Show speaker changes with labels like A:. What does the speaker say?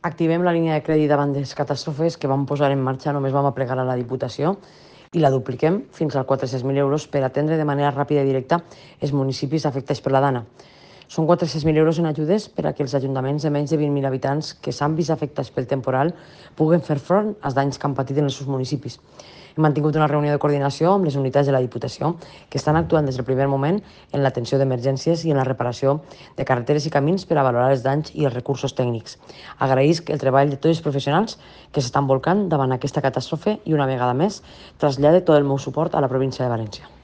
A: Activem la línia de crèdit davant de les catàstrofes que vam posar en marxa, només vam aplegar a la Diputació i la dupliquem fins als 400.000 euros per atendre de manera ràpida i directa els municipis afectats per la Dana. Són 400.000 euros en ajudes per a que els ajuntaments de menys de 20.000 habitants que s'han vist afectats pel temporal puguen fer front als danys que han patit en els seus municipis. Hem mantingut una reunió de coordinació amb les unitats de la Diputació que estan actuant des del primer moment en l'atenció d'emergències i en la reparació de carreteres i camins per a valorar els danys i els recursos tècnics. Agraïsc el treball de tots els professionals que s'estan volcant davant aquesta catàstrofe i una vegada més trasllade tot el meu suport a la província de València.